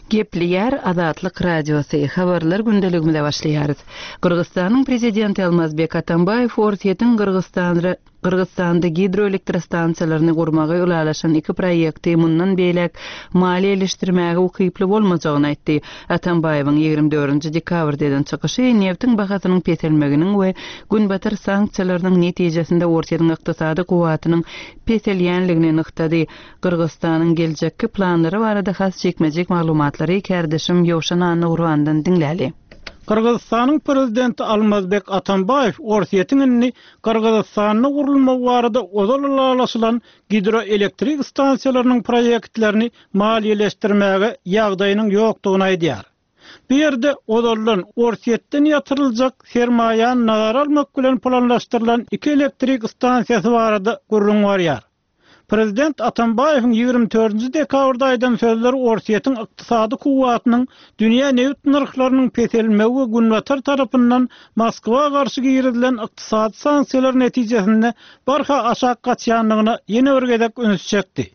Gepleýär Azatlyk Radiosy, Habarlar gündeligimize başlaýarys. Gyrgyzystanyň Prezidenti Almazbek Atambaýew Orsýetiň Gyrgyzystanda Gyrgyzystanda gidroelektrostansiýalaryny gurmagy ylalaşan iki proýekti mundan beýläk maliýeleşdirmäge ukyply bolmajagyny aýtdy. Atambaýewiň 24 dekabrda eden çykyşy nebtiň bahasynyň peselmeginiň we Günbatar sanksiýalarynyň netijesinde Orsýetiň ykdysady kuwwatynyň peselýänligini nygtady. Gyrgyzystanyň geljekki planlary barada has jikme-jik maglumatlary kärdeşim Ýowşan Annagurbandan diňläli. Gyrgyzystanyň Prezidenti Almazbek Atambaýew Orsýetiň indi Gyrgyzystanda gurulmagy barada ozal ylalaşylan gidroelektrik stansiýalarynyň proýektlerini maliýeleşdirmäge ýagdaýynyň ýokdugyny aýdýar. Bu ýerde ozaldan Orsýetden ýatyryljak sermaýany nazara almak bilen planlaşdyrylan iki elektrik stansiýasy barada gürrüň barýar. Prezident Atambaýewiň 24-nji dekabrda aýdan sözleri Orsýetiň ykdysady kuwwatynyň dünýä nebit nyrhlarynyň peselmegi we Günbatar tarapyndan Moskwa garşy girizilen ykdysady sanksiýalar netijesinde barha aşak gaçýandygyna ýene bir gezek üns çekdi.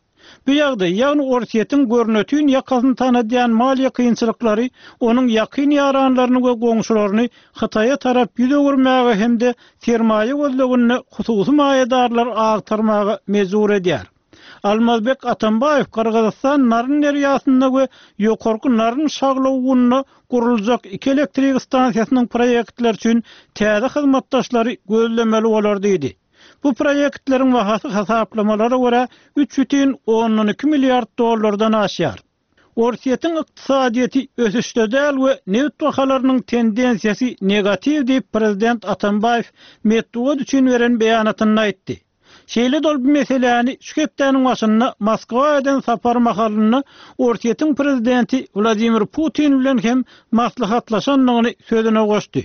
Bu ýagdaý, ýagny Orsýetiň görnetin ýakasyny tanadýan maliýe kynçylyklary onuň ýakyn ýaranlaryny we goňşularyny Hytaýa tarap ýüz öwürmäge hem-de sermaýa gözleginde hususy maýadarlary agtarmaga mejbur edýär. Almazbek Atambaýew Gyrgyzystan Naryn derýasynda we Ýokarky Naryn şaglawugynda guruljak iki elektrik stansiýasynyň proýektleri üçin täze hyzmatdaşlary gözlemeli bolar diýdi. Bu proýektleriň bahasy hasaplamalara görä 3,2 milliard dollardan aşýar. Orsýetiň ykdysadyýeti ösüşde däl we nebit bahalarynyň tendensiýasy negatiw diýip, prezident Atambaýew metbugat üçin beren beýanatynda aýtdy. Şeýle-de ol bu meseläni şu hepdäniň başynda Moskwa eden sapary mahalynda Orsýetiň prezidenti Wladimir Putin bilen hem maslahatlaşandygyny sözüne goşdy.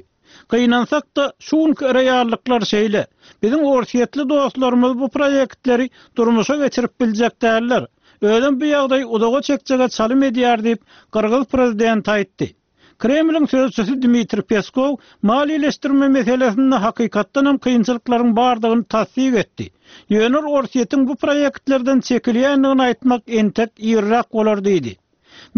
Gynansak-da, şu günki reallyklar şeýle. Biziň orsýetli dostlarymyz bu proýektleri durmuşa geçirip biljek däller. Özem bu ýagdaý uzaga çekjege çalym edýär diýip, gyrgyz prezidenti aýtdy. Kremliň sözçüsi Dmitriý Peskow maliýeleşdirme meselesinde hakykatdanam kynçylyklaryň bardygyny tassyk etdi. Ýöne ol Orsýetiň bu proýektlerden çekilýändigini aýtmak entek irräk bolar diýdi.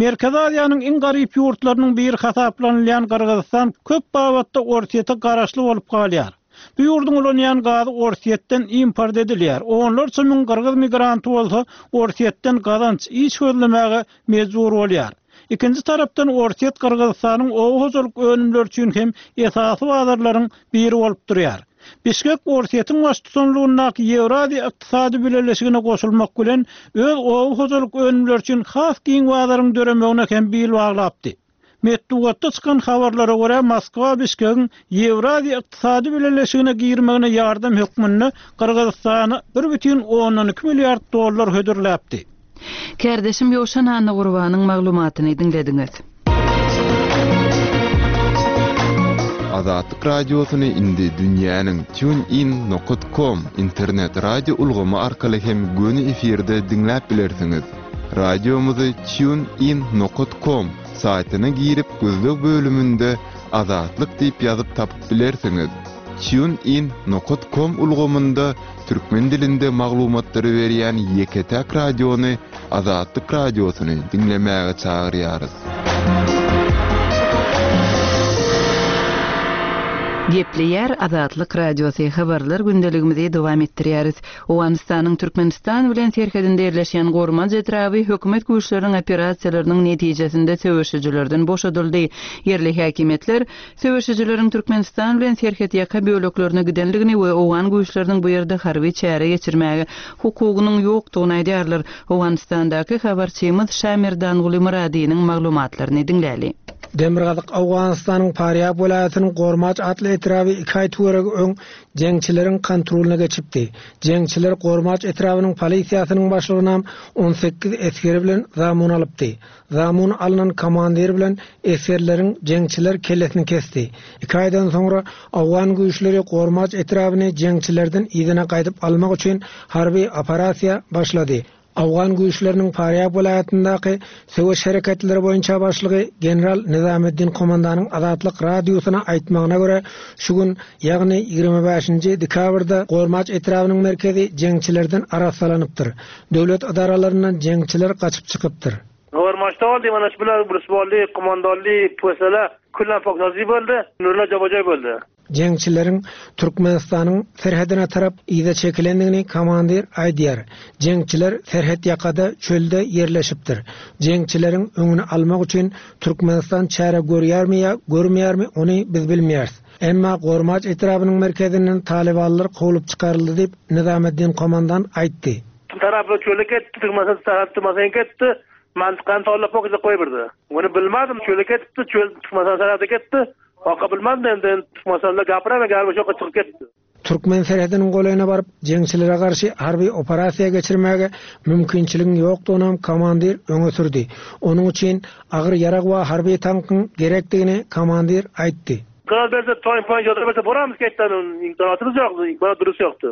Merkezi Aziýanyň iň garyp ýurtlarynyň biri hasaplanylýan Gyrgyzystan köp babatda Orsýete garaşly bolup galýar. Bu ýurduň ulanýan gazy Orsýetden import edilýär, onlarça müň gyrgyz migranty bolsa Orsýetden gazanç, iş gözlemäge mejbur bolýar. Ikinji tarapdan Orsýet Gyrgyzystanyň oba hojalyk önümleri üçin hem esasy bazarlaryň biri bolup durýar. Bişkek Orsýetiň baştutanlygyndaky Ýewraziýa ykdysady bileleşigine goşulmak bilen, öz oba hojalyk önümleri üçin has giň bazaryň döremegine hem bil baglapdy. Metbugatda çykan habarlara görä, Moskwa Bişkegiň Ýewraziýa ykdysady bileleşigine girmegine ýardam hökmünde Gyrgyzystana 1,2 milliard dollar hödürläpdi. Kärdeşim Ýowşan Annagurbanyň maglumatyny diňlediňiz. Azatlyk Radiosyny indi dünýäniň TuneIn nokat com internet radio ulgamy arkaly hem göni efirde diňläp bilersiňiz. Radiomyzy TuneIn nokat com saýtyna girip gözleg bölüminde Azatlyk diýip ýazyp tapyp bilersiňiz. TuneIn nokat com ulgamynda Türkmen dilinde maglumatlary berýän ýeke-täk radiony Azatlyk Radiosyny diňlemäge çagyrýarys. Gepleýär Azatlyk Radiosy, Habarlar gündeligimizi dowam etdirýäris. Owganystanyň Türkmenistan bilen serhedinde ýerleşýän Gormanç etraby hökümet güýçleriniň operasiýalarynyň netijesinde söweşijilerden boşadyldy. Ýerli häkimiýetler Söweşijileriň Türkmenistan bilen serhetýaka böleklerine gidendigini we owgan güýçleriniň bu ýerde harby çäre geçirmäge hukugynyň ýokdugyny aýdýarlar. Owganystandaky habarçymyz Şamerdanguly Myradynyň maglumatlaryny diňläli. Demirgazyk Owganystanyň Farýab welaýatynyň Gormaç atly etraby iki aý töweregi öň jeňçileriň kontrolyna geçipdi. Jeňçiler Gormaç etrabynyň polisiýasynyň başlygynam 18 esgeri bilen zamun alypdy. Zamun alnan komandir bilen esgerleriň jeňçiler kellesini kesdi. Iki aýdan soňra owgan güýçleri Gormaç etrabyny jeňçilerden yzyna gaýdyp almak üçin harby operasiýa başlady. Owgan güýçleriniň Farýab welaýatyndaky söweş hereketleri boýunça başlygy general Nizameddin Komandanyň Azatlyk Radiosyna aýtmagyna görä, şu gün, ýagny 25-nji dekabrda Gormaç etrabynyň merkezi jeňçilerden arassalanypdyr. Döwlet edaralaryndan jeňçiler gaçyp çykypdyr. Gormaçda boldy, mana şu bilen Rusbolly, Kumandolly, Pösele, Küllan Poksazy boldy, Nurla Jobajoý boldy. Jeňçileriň Türkmenistanyň serhedine tarap yza çekilendigini komandir aýdýar. Jeňçiler serhet ýakada, çölde ýerleşipdir. Jeňçileriň öňüni almak üçin Türkmenistan çäre görýärmi ýa görmeýärmi, ony biz bilmeýäris. Emma Gormaç etrabynyň merkezinden talybanlar kowlup çykaryldy diýip, Nizameddin komandan aýtdy. Tarapy çöle ketdi, Türkmenistan tarapy Türkmenistan ketdi, mantykany tollap ok goýberdi. Ony bilmedim, çöle ketdi, çöl Türkmenistan tarapy ketdi. Oka bilmedim endi Türkmenistanda gapyraman galiba şoka çykyp ketdi. Türkmen serhediniň golaýyna baryp, jeňçilere garşy harby operasiýa geçirmäge mümkinçiligiň ýokdugynam komandir öňe sürdi. Onuň üçin agyr ýarag we harby tankyň gerekdigini komandir aýtdy. Gaz berse toýun poýun ýoda berse boramyz ketdi imkanatymyz ýokdy imkanat durus ýokdy.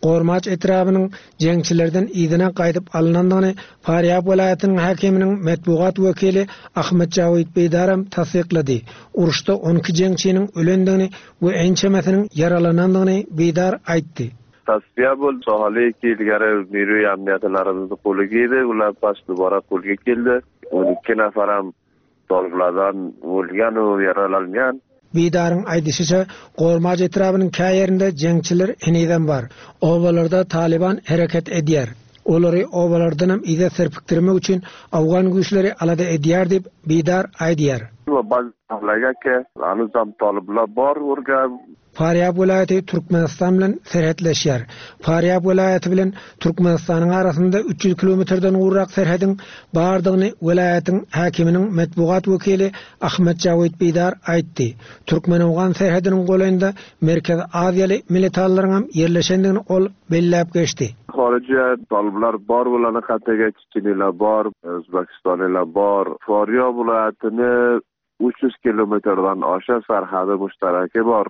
Gormaç etrabynyň jeňçilerden yzyna gaýdyp alynandygyny Farýab welaýatynyň häkiminiň metbugat wekili Ahmet Jawid Beýdaram tassyklady. Uruşda 12 jeňçiniň ölendigini we ençemesiniň ýaralanandygyny Beýdar aýtdy. Tasfiýa boldy. Sohaly ilgeri Nuri amniýatylarymyzy goly girdi. Ular baş dubara golga keldi. 12 nafaram Tolgulardan ölýän we ýaralanýan. Bidaryň aýdyşyça, Gormaç etrabynyň kä ýerinde jeňçiler henizem bar. Obalarda Talyban hereket edýär. Olary obalardanam yza serpikdirmek üçin awgan güýçleri alada edýär diýip, Bidar aýdýar. Farýab welaýaty Türkmenistan bilen serhetleşýär. Farýab welaýaty bilen Türkmenistanyň arasynda 300 kilometrden gowrak serhediň bardygyny welaýatyň häkiminiň metbugat wekili Ahmet Jawid Bidar aýtdy. Türkmen-owgan serhediniň golaýynda Merkezi Aziýaly militanlaryňam ýerleşendigini ol belläp geçdi. Horija talyblar bor bolany hataga çeçeniler bor, Özbekistanylar bor. Farýab welaýatyny 300 kilometrden aşa serhedi muştereki bar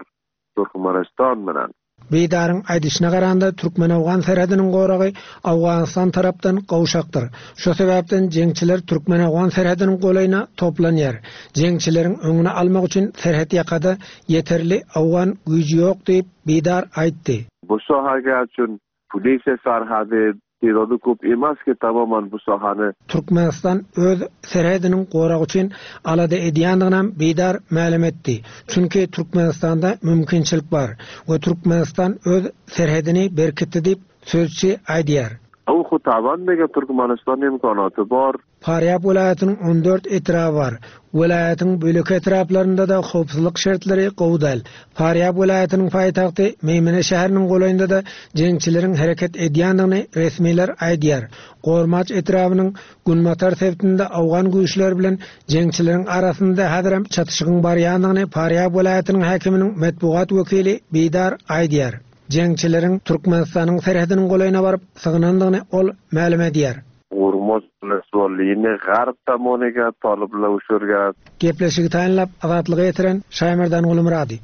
Türkmenistan bilen. Bidaryň aýdyşyna garanda, türkmen-owgan serhediniň goragy Owganystan tarapdan gowşakdyr. Şo sebäpden jeňçiler türkmen-owgan serhediniň golaýyna toplanýar. Jeňçileriň öňüni almak üçin serhet ýakada ýeterli owgan güýji ýok diýip, Bidar aýtdy. Bu sohaga üçin Polisiýa sarhady terrorny köp emas ki tamaman bu sahany. Türkmenistan öz serhediniň goragy üçin alada edýändiginem Bidar mälim etdi. Çünki Türkmenistanda mümkinçilik bar we Türkmenistan öz serhedini berkitdi diýip, sözçi aýdýar. Uhu taban degen Türkmenistan imkanaty bar. Farýab welaýatynyň 14 etraby bar. Welaýatyň beýleki etraplarynda-da howpsuzlyk şertleri gowy däl. Farýab welaýatynyň paýtagty Meýmene şäheriniň golaýynda-da jeňçileriň hereket edýändigini resmiler aýdýar. Gormaç etrabynyň günbatar sebitinde owgan güýçleri bilen jeňçileriň arasynda häzirem çatyşygyň barýandygyny Farýab welaýatynyň häkiminiň metbugat wekili Bidar aýdýar. Jeňçileriň Türkmenistanyň serhediniň golaýyna baryp sygynandygyny ol mälim edýär. Gurmaz Nasrallini garb tomoniga toliblar uçurgan. Gepleşigi taýynlap, Azatlyga ýetiren Şaýmerdan Gulumyrady.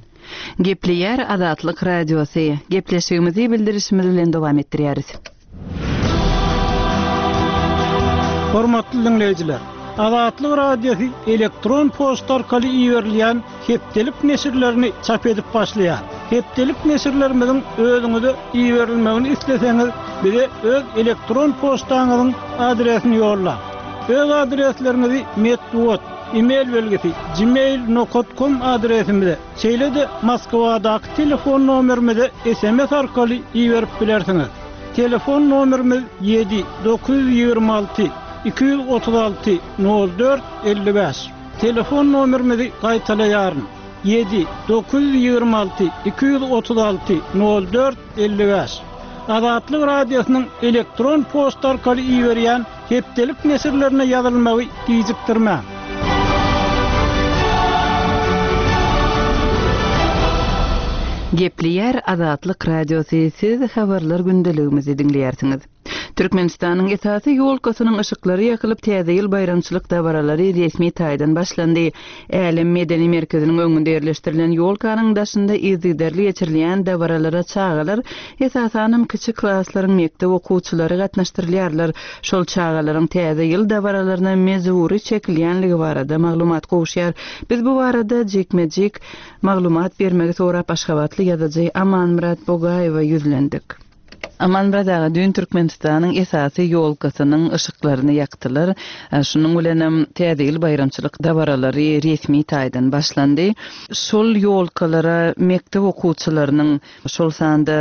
Gepleýär Azatlyk Radiosy. Gepleşigimizi bildirişimiz bilen dowam etdirýäris. Hormatly diňleýjiler! Azatlyk Radiosy elektron poçta arkaly iberilýän hepdelik neşirlerini çap edip başlaýar. Hepdelik neşirlerimiziň özüňize iberilmegini isleseňiz, bize öz elektron poçtaňyzyň adresini ýollaň. Öz adresleriňizi metbugat, e-mail belgisi, gmail nokat kom adresimize, şeýle-de Moskwadaky telefon nomerimize sms arkaly iberip bilersiňiz. Telefon nomerimiz ýedi 926 236 04 55. Telefon nomerimizi gaýtalaýaryn, ýedi 926 236 04 55. Azatlyk Radiosynyň elektron poçta arkaly iberýän hepdelik neşirlerine ýazylmagy gijikdirmäň. Gepleýär Azatlyk Radiosy, siz habarlar gündeligimizi diňleýärsiňiz. Türkmenistanyň esasy ýolkasynyň yşyklary ýakylyp, Täze ýyl baýramçylyk dabaralary resmi taýdan başlandy. Älem medeni merkeziniň öňünde ýerleşdirilen ýolkanyň daşynda yzygiderli geçirilýän dabaralara çagalar, esasanam kiçi klaslaryň mekdep okuwçylary gatnaşdyrylýarlar. Şol çagalaryň Täze ýyl dabaralaryna mejbury çekilýänligi barada maglumat gowuşýar. Biz bu barada jikme-jik maglumat bermegi sorap aşgabatly ýazyjy Amanmyrat Bogaýewe ýüzlendik. Amanmyrat aga, düýn Türkmenistanyň esasy ýolkasynyň yşyklaryny ýakdylar. Şunuň bilenem Täze ýyl baýramçylyk dabaralary resmi taýdan başlandy. Şol ýolkalara mekdep okuwçylarynyň, şol sanda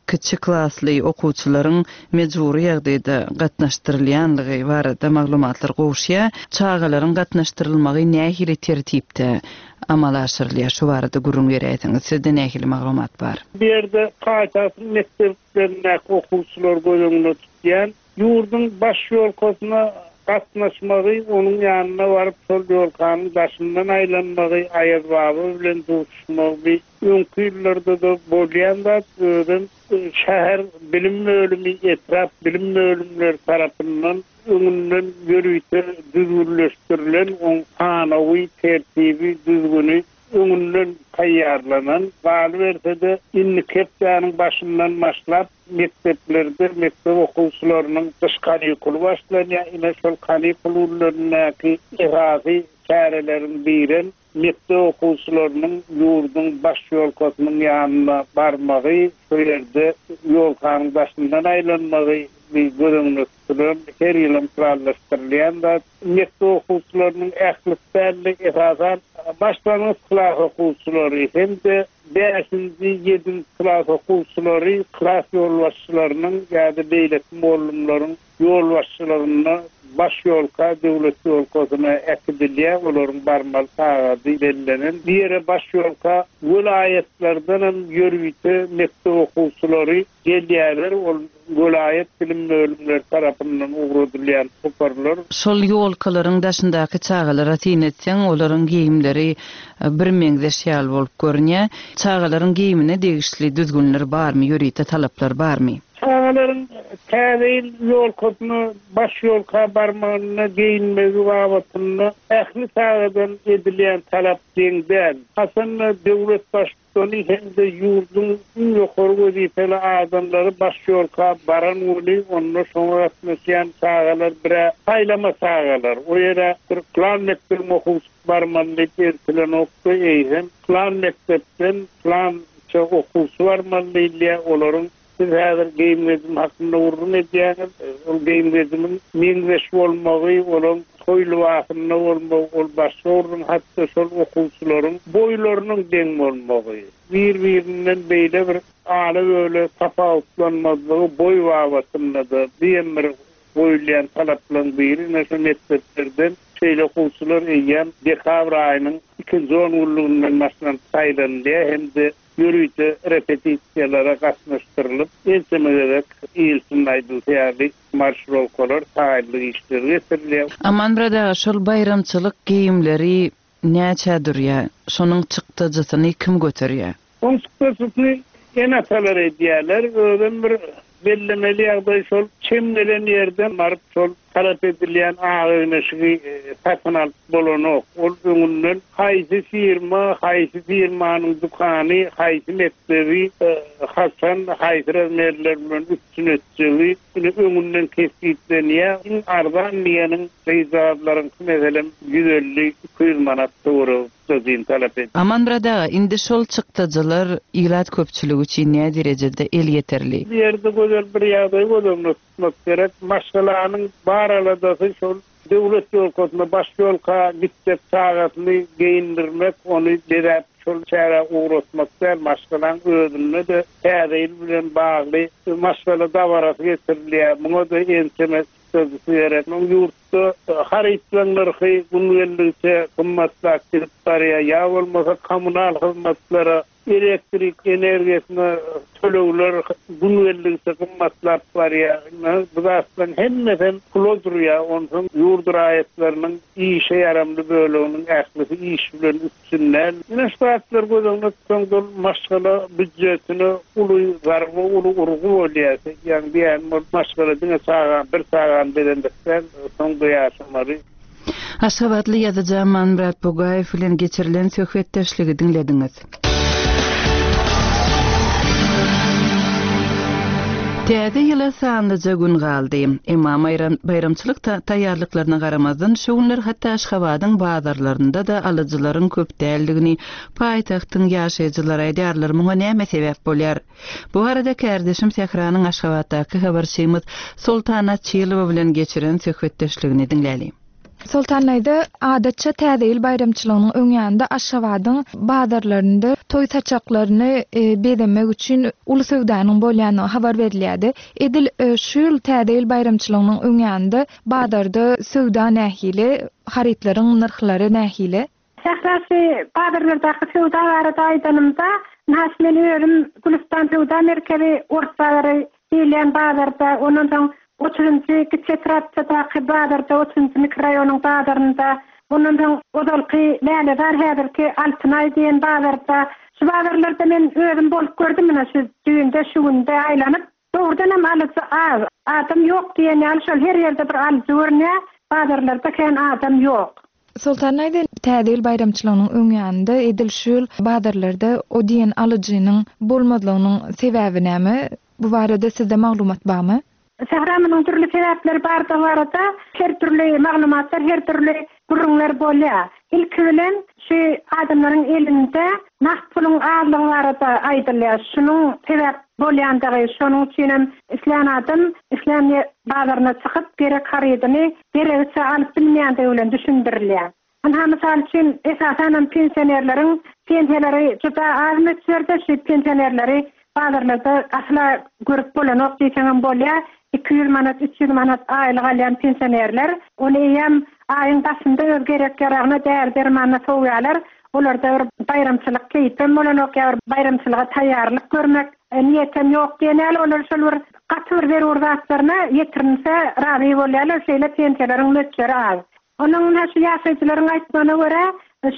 kiçi klasly okuwçylaryň mejbury ýagdaýda gatnaşdyrylýanlygy barada maglumatlar gowuşýar. Çagalaryň gatnaşdyrylmagy nähili tertipde amala aşyrylýar? Şu barada gürrüň beräýseňiz. Sizde nähili maglumat bar? Bu ýerde paýtagtyň mekdeplerindäki okuwçylary göz öňünde tutýan. Ýurduň baş ýolkasyna gatnaşmagy, onuň ýanyna baryp, şol ýolkanyň daşyndan aýlanmagy, Aýazbaba bilen duşuşmagy bi öňki ýyllarda-da bolýan zat. Özem şäher bilim bölümi, etrap bilim bölümleri tarapyndan öňünden ýörite düzgünleşdirilen oň sanawy, tertibi, düzgüni öňünden taýýarlanan. Galyberse-de, indiki hepdäniň başyndan başlap, mekdeplerde mekdep okuwçylarynyň gyş kanikuly başlanýar. Ine, şol kanikul günlerindäki esasy çäreleriň birem mekdep okuwçylarynyň ýurduň baş ýolkasynyň ýanyna barmagy, şo ýerde ýolkanyň daşyndan aýlanmagy göz öňünde tutulan, her ýylam planlaşdyrylýan zat. Mekdep okuwçylarynyň ählisi däl-de, esasan, başlangyç klas okuwçylary hem-de bäşinji, ýedinji klas okuwçylary klas ýolbaşçylarynyň ýa-da beýleki mugallymlaryň ýolbaşçylygynda baş ýolka, döwlet ýolkasyna äkidilýär, olaryň barmaly sagady bellenen. Bu ýere baş ýolka welaýatlardanam ýörite mekdep okuwçylary gelýärler, ol welaýat bilim bölümleri tarapyndan ugradylýan toparlar. Şol ýolkalaryň daşyndaky çagalara syn etseň, olaryň geýimleri birmeňzeş ýaly bolup görünýär. Çagalaryň geýimine degişli düzgünler barmy, ýörite talaplar barmy? Çagalaryň Täze ýyl ýolkasyna, baş ýolka barmagynda geýinmegi babatynda ähli çagadan edilýän talap deň däl. Haçanda döwlet Baştutany hem-de ýurduň iň ýokary wezipeli adamlary baş ýolka baran güni onda şoňa gatnaşýan çagalar bir-ä saýlama çagalar, o ýere bir pylan mekdebiň okuwçysy barmaly diýip eltilenokdy, eýsem pylan mekdepden pylança okuwçy barmaly diýilýär, olaryň Siz häzir geýim-gejim hakynda gürrüň edýäňiz. Ol geýim-gejimiň meňzeş bolmagy, olaň toý lybasynda bolmagy, ol başga gürrüň, hatda şol okuwçylaryň boýlarynyň deň bolmagy, bir-birinden beýle bir ala-böle tapawutlanmazlygy boý babatynda-da, bu hem bir goýulýan talaplaryň biri. Ine, şu mekdeplerden şeýle okuwçylar eýýäm dekabr aýynyň ikinji ongünlüginden başlanyp saýlanylýar hem-de ýörite repetisiýalara gatnaşdyrylyp, ençeme gezek ilçiniň aýdylşy ýaly, marşirowkalar, taýynlyk işleri geçirilýär. Amanmyrat aga, şol baýramçylyk geýimleri näçä durýar? Şonuň çykdajysyny kim göterýär? Oň çykdajysyny ene-atalar edýärler. Özem bir Bellemeli ýagdaý şol, çem gelen ýerden baryp şol talap edilýän ak egin-eşigi satyn alyp bolanok. Ol öňünden haýsy firma, haýsy firmanyň dükany, haýsy mekdebi haçan, haýsy razmerler bilen üpjün etjegi ine öňünden kesgitlenýär. Iň arzan diýeniň gyzjagazlaryňky meselem 150, 200 manat töweregi. çykdajyny talap edýär. Amanmyrat aga, indi şol çykdajylar ilat köpçüligi üçin näderejede elýeterli? Bu ýerde gözel bir ýagdaýy göz öňünde tutmak gerek. Maşgalanyň bar aladasy şol döwlet ýolkasyna, baş ýolka gitjek çagasyny geýindirmek, ony bezäp şol çärä ugratmak däl, maşgalaň özünde-de Täze ýyl bilen bagly maşgala dabarasy geçirilýär. Muňa-da ençeme çykdajysy gerek. Muň ýurt Ýurtda harytlaryň nyrhy gün geldigiçe gymmatlap gidip barýar, ýa bolmasa kommunal hyzmatlara, elektrik energiýasyna tölegler gün geldigiçe gymmatlap barýar. Ine, bu zatlaryň hemmesem pula durýar. Onsoň ýurt raýatlarynyň işe ýaramly böleginiň ählisi iş bilen üpjün däl. Ine, şu zatlary göz öňünde tutsaň, ol maşgala býujetine uly zarba, uly urgy bolýar. Ýagny diýýänim ol maşgala diňe çaga, bir çagany bezenmek däl, soň-da ýaşamaly. Aşgabatly ýazyjy Amanmyrat Bugaýew bilen geçirilen söhbetdeşligi diňlediňiz. Täze ýyla sanlyja gün galdy. Emma baýramçylyk taýýarlyklaryna garamazdan, şu günler hatda Aşgabadyň bazarlarynda-da alyjylaryň köp däldigini paýtagtyň ýaşaýjylary aýdýarlar. Muňa näme sebäp bolýar? Bu barada kärdeşim Sähranyň Aşgabatdaky habarçymyz Soltan Açylowa bilen geçiren söhbetdeşligini diňläliň. Soltan daýza, adatça Täze ýyl baýramçylygynyň öň ýanynda Aşgabadyň bazarlarynda toý saçaklaryny bezemek üçin uly söwdanyň bolýandygy habar berilýärdi. Edil şu ýyl Täze ýyl baýramçylygynyň öň ýanynda bazarda söwda nähili, harytlaryň nyrhlary nähili? Sähra şu bazarlardaky söwda barada aýdanymda, nas men özüm Gülüstan söwda merkezi, Ors bazary diýilýän bazarda, ondan soň otuzynjy kiçi etrapçadaky bazarda, otuzynjy mikroraýonyň bazarynda, ondan soň ozalky Lälezar häzirki Altynaý diýen bazarda, şu bazarlarda men özüm bolup gördüm ine şu düýnde, şu günde aýlanyp. Dogrudanam alyjy az. Adam ýok diýen ýaly şol her ýerde bir alyjy görünýär, bazarlarda kän adam ýok. Soltan daýza, Täze ýyl baýramçylygynyň öň ýanynda edil şu ýyl bazarlarda o diýen alyjynyň bolmazlygynyň sebäbi näme? Bu barada sizde maglumat barmy? Sähra munuň dürli sebäpleri bardygy barada her dürli maglumatlar, her dürli gürrüňler bolýar. Ilki bilen şu adamlaryň elinde nagt puluň azlygy barada aýdylýar. Şunuň sebäp bolýandygy, şonuň üçinem islän adam islän bazaryna çykyp gerek harydyny geregiçe alyp bilmeýändigi bilen düşündirilýär. Ynha, mysal üçin, esasanam pensionerleriň pensiýalary juda az möçberde, şu pensionerleri bazarlarda asla görüp bolanok diýseňem bolýar. 200 manat, 300 manat aýlyk alýan pensionerler, ony eýýäm aýyň başynda öz gerek-ýaragyna, däri-dermanyna sowýarlar. Olarda bir baýramçylyk keýpem bolanok ýa bir baýramçylyga taýýarlyk görmek niýetem ýok diýen ýaly, olar şol bir gaty bir zerur zatlaryna ýetirinse razy bolýarlar, şeýle pensiýalaryň möçberi az. Onuň ynha şu ýaşaýjylaryň aýtmagyna görä,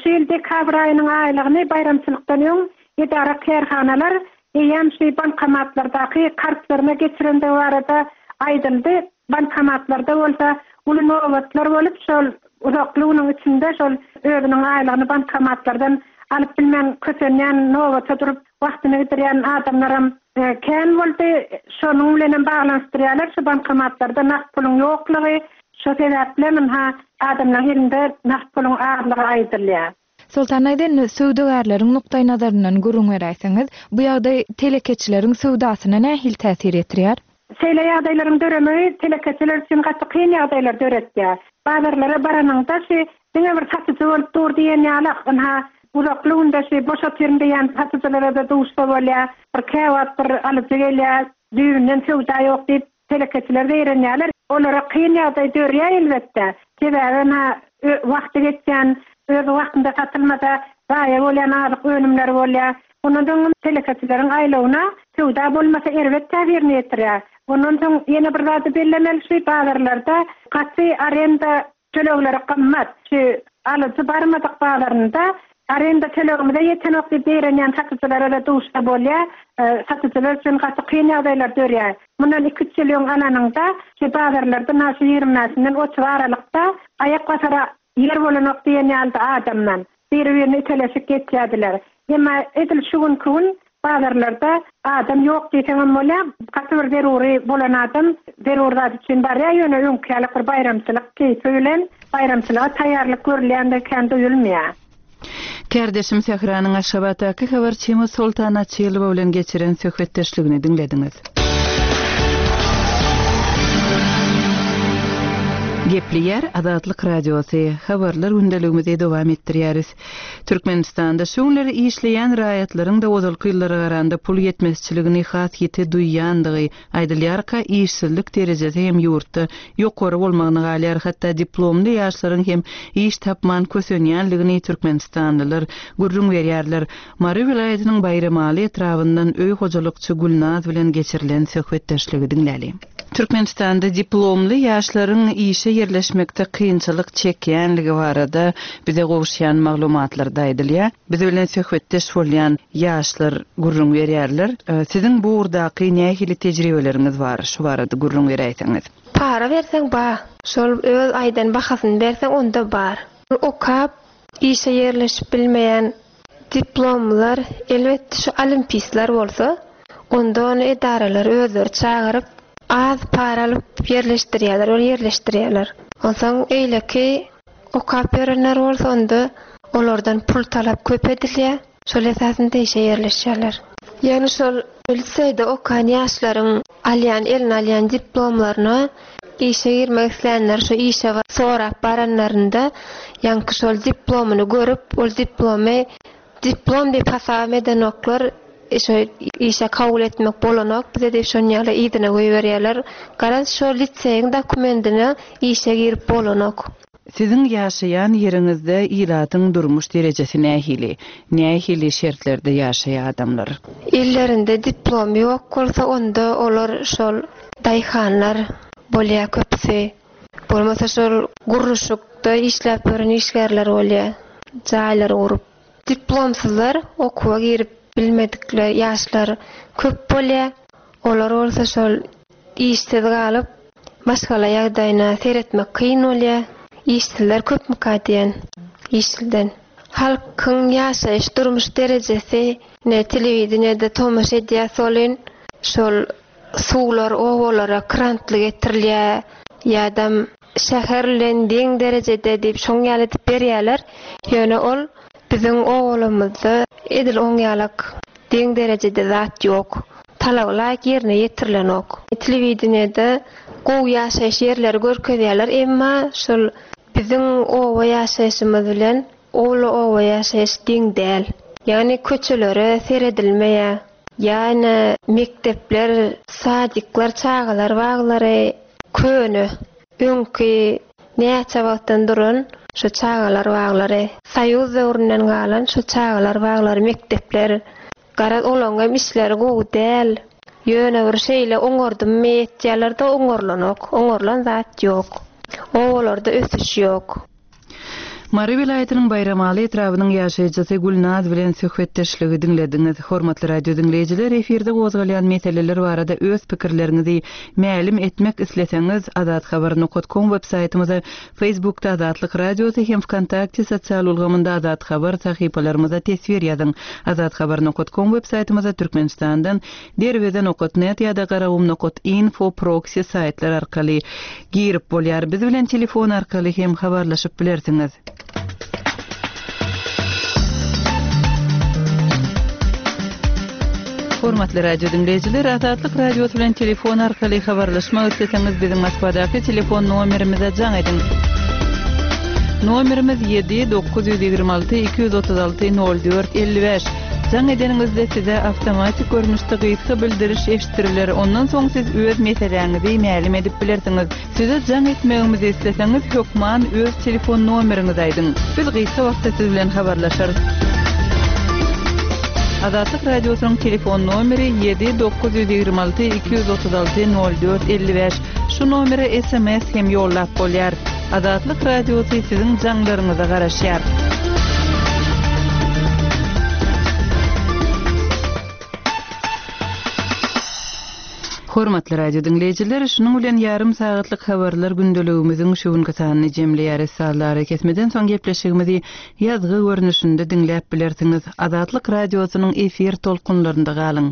şu ýyl dekabr aýynyň aýlygyny baýramçylykdan öň edara-kärhanalar eýýäm şu bankomatlardaky kartlaryna geçirendigi barada aýdyldy. Bankomatlarda bolsa uly nobatlar bolup, şol uzakly günüň içinde şol özüniň aýlygyny bankomatlardan alyp bilmän kösenýän, nobata durup wagtyny gidirýän adamlaram kän boldy. Şonuň bilenem baglanyşdyrýarlar şu bankomatlarda nagt puluň ýoklugy. Şo sebäplem ynha adamlaryň elinde nagt puluň azlygy aýdylýar. Soltan daýza indi söwdagärleriň nukdaýnazaryndan gürrüň beräýseňiz, bu ýagdaý telekeçileriň söwdasyna nähili täsir ýetirýär? Şeýle ýagdaýlaryň döremegi telekeçiler üçin gaty kyn ýagdaýlar döretýär. Bazarlara baranyňda şi diňe bir satyjy bolup dur diýen ýalak, ynha uzakly günde şi boş otyryn diýýän satyjylara-da duşsa bolýar. Bir käwagt bir alyjy gelýär, düýbünden söwda ýok diýip Telekeçiler zeýrenýärler. Olara kyn ýagdaý dörýär elbetde. Sebäbi ynha wagty geçýän, öz wagtynda satylmasa zaýa bolýan azyk önümleri bolýar. Ondan soň telekeçileriň aýlawyna söwda bolmasa erbet täsirini ýetirýär. Ondan soň ýene bir zady bellemeli şu bazarlarda gaty arenda Tölegleri gymmat. Şu alyjy barmadyk bazarynda arenda tölegimize ýetenok diýip zeýrenýän satyjylara-da duşsa bolýar. Satyjylar üçin gaty kyn ýagdaýlar dörýär. Mundan iki-üç ýyl öň alanyňda, şu bazarlarda na şu 20 bäşinden 30 aralykda aýak basara ýer bolanok diýen ýalydy adamdan. Biri-birini iteleşip geçýärdiler. Emma edil şu günki gün bazarlarda adam ýok diýseňem bolýar. Gaty bir zerury bolan adam zerur zat üçin barýar, ýöne öňki ýaly bir baýramçylyk keýpi bilen baýramçylyga taýýarlyk görülýändigi kän duýulmaýar. Kärdeşim Sähranyň Aşgabatdaky habarçymyz Soltan Açylowa bilen geçiren söhbetdeşligini diňlediňiz. Gepleýär Azatlyk Radiosy, Habarlar gündeligimizi dowam etdirýäris. Türkmenistanda şu günler işleýän raýatlaryň-da ozalky ýyllara garanda pul ýetmezçiligini has ýiti duýýandygy aýdylýarka, işsizlik derejesi hem ýurtda ýokary bolmagyna galýar, hatda diplomly ýaşlaryň hem iş tapman kösenýänligini türkmenistanlylar gürrüň berýärler. Mary welaýatynyň Baýramaly etrabyndan öý hojalykçy Gülnaz bilen geçirilen söhbetdeşligi diňläliň. Türkmenistanda diplomly ýaşlaryň işe ýerleşmekde kynçylyk çekýänligi barada bize gowuşýan maglumatlarda aýdylýar. Biz bilen söhbetdeş bolýan ýaşlar gürrüň berýärler. Siziň bu ugurdaky nähili tejribeleriňiz bar? Şu barada gürrüň beräýseňiz. Para berseň ba. Şol öz aýdan bahasyny berseň onda bar. Okap işe ýerleşip bilmeýän diplomlylar elbetde şu olimpistler bolsa. Onda ony edaralar özleri çagyryp, az para alyp ýerleşdirýärler, ol ýerleşdirýärler. Onsoň eýleki okap ýörenler bolsa onda olardan pul talap köp edilýär. Şol esasynda işe ýerleşýärler. Ýagny şol liseýde okan ýaşlaryň alýan eline alýan diplomlaryna işe girmek islänler şu işe sorap baranlarynda ýaňky şol diplomyny görüp ol diplomy diplom diýip hasabam edenoklar şo işe kabul etmek bolanok bize diýip şon ýaly yzyna goýberýärler. Garaz şo liseýiň dokumendine işe girip bolanok. Siziň ýaşaýan ýeriňizde ilatyň durmuş derejesi nähili? Nähili şertlerde ýaşaýar adamlar? Ellerinde diplom ýok bolsa onda olar şol daýhanlar bolýar köpüsi. Bolmasa şol gurluşykda işläp ýören işgärler bolýar jaýlary gurup. Diplomsyzlar okuwa girip bilmedikler ýaşlar köp bolýar. Olar bolsa şol işsiz galyp maşgala ýagdaýyna seretmek kyn bolýar. Işsizler köpmüka diýen işliden. Halkyň ýaşaýyş durmuş derejesi ne telewideniýede tomaşa edýäs welin şol suwlar obalara krantly getirilýär ýadam şäher bilen deň derejede diýip şoň ýaly edip berýärler. Ýöne ol biziň obalarymyzda edil oň ýalak deň derejede zat ýok. Talaba laýyk ýerine ýetirilenok. Telewideniýede gowy ýaşaýyş ýerleri görkezýärler, emma şol biziň oba ýaşaýşymyz bilen ol oba ýaşaýyş deň däl. Ýagny köçelere seredilmeýär. Ýa-ine mekdepler, sadikler, çagalar baglary köne, öňki näçe wagtdan duran şu çagalar baglary, soýuz döwründen galan şu çagalar baglary, mekdepler, garaz olaň hem işleri gowy däl. Ýöne bir şeýle oňardymmy etýärler-de oňarlanok, oňarlan zat ýok. Obalarda ösüş ýok. Mary welaýatynyň Baýramaly etrabynyň ýaşaýjysy Gülnaz bilen söhbetdeşligi diňlediňiz. Hormatly radio diňleýjiler, efirde gozgalýan meseleler barada öz pikirleriňizi mälim etmek isleseňiz, azathabar nokat kom web saýtymyza, Facebookda Azatlyk Radiosy hem Wkontakte sosial ulgamynda Azathabar sahypalarymyza teswir ýazyň. Azathabar nokat kom web saýtymyza Türkmenistandan Derweze nokat net ýa-da Garagum nokat info proksi saýtlar arkaly girip bolýar. Biz bilen telefon arkaly hem habarlaşyp bilersiňiz. Hormatly radio diňleýjiler, Azatlyk Radiosy bilen telefon arkaly habarlaşmak isleseňiz biziň Moskwadaky telefon nomerimize jaň ediň. Nomerimiz 7 926 236 04 55. Jaň edeniňizde size awtomatik görnüşde gysga bildiriş eşitdiriler, ondan soň siz öz meseläňizi mälim edip bilersiňiz. Size jaň etmegimizi isleseňiz hökman öz telefon nomeriňizi aýdyň. Biz gysga wagtda siz bilen habarlaşarys. Azatlyk Radiosynyň telefon nomeri 7 926 236 04 55. Şu nomere sms hem ýollap bolýar. Azatlyk Radiosy siziň jaňlaryňyza garaşýar. Hormatly radio diňleýjiler, şunuň bilen ýarym sagatlyk habarlar gündeligimiziň şu günki sanyny jemleýäris. Sazly arakesmeden soň gepleşigimizi ýazgy görnüşinde diňläp bilersiňiz. Azatlyk Radiosynyň efir tolkunlarynda galyň!